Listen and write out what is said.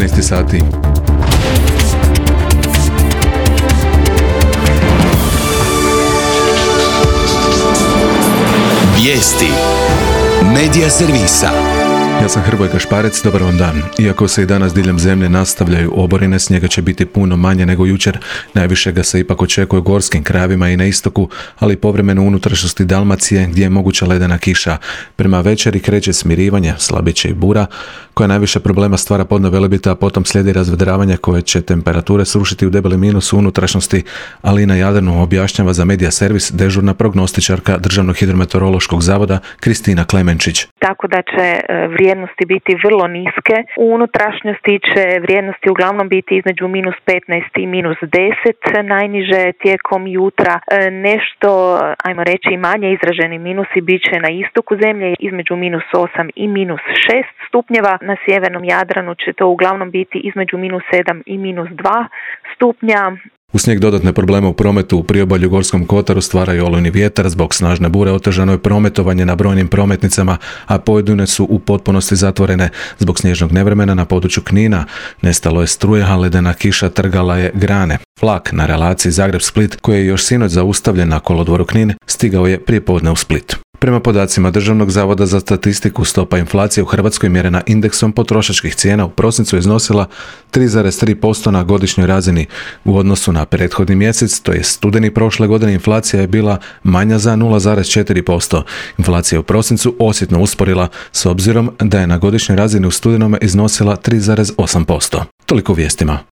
13 sati. Vijesti Medija servisa. Ja sam Hrvoje Kašparec, dobar vam dan. Iako se i danas diljem zemlje nastavljaju oborine, snijega će biti puno manje nego jučer. Najviše ga se ipak očekuje u gorskim krajevima i na istoku, ali i povremeno u unutrašnjosti Dalmacije gdje je moguća ledena kiša. Prema večeri kreće smirivanje, slabit će i bura, koja najviše problema stvara podno Velebita, a potom slijedi razvedravanje koje će temperature srušiti u debeli minus u unutrašnjosti, ali i na Jadranu, objašnjava za Medija servis dežurna prognostičarka Državnog hidrometeorološkog zavoda Kristina Klemenčić. Tako da će vrijednosti biti vrlo niske. U unutrašnjosti će vrijednosti uglavnom biti između minus 15 i minus 10, najniže tijekom jutra. Nešto, ajmo reći, manje izraženi minusi bit će na istoku zemlje između minus 8 i minus 6 stupnjeva. Na sjevernom Jadranu će to uglavnom biti između minus 7 i minus 2 stupnja. U snijeg dodatne probleme u prometu u priobalju Gorskom kotaru stvaraju olujni vjetar, zbog snažne bure otežano je prometovanje na brojnim prometnicama, a pojedine su u potpunosti zatvorene. Zbog snježnog nevremena na području Knina nestalo je struje, a ledena kiša trgala je grane. Vlak na relaciji Zagreb-Split, koji je još sinoć zaustavljen na kolodvoru Knin, stigao je prije podne u Split. Prema podacima Državnog zavoda za statistiku, stopa inflacije u Hrvatskoj mjerena indeksom potrošačkih cijena u prosincu je iznosila 3,3% na godišnjoj razini. U odnosu na prethodni mjesec, to je studeni prošle godine, inflacija je bila manja za 0,4%. Inflacija u prosincu osjetno usporila, s obzirom da je na godišnjoj razini u studenome iznosila 3,8%. Toliko u vijestima.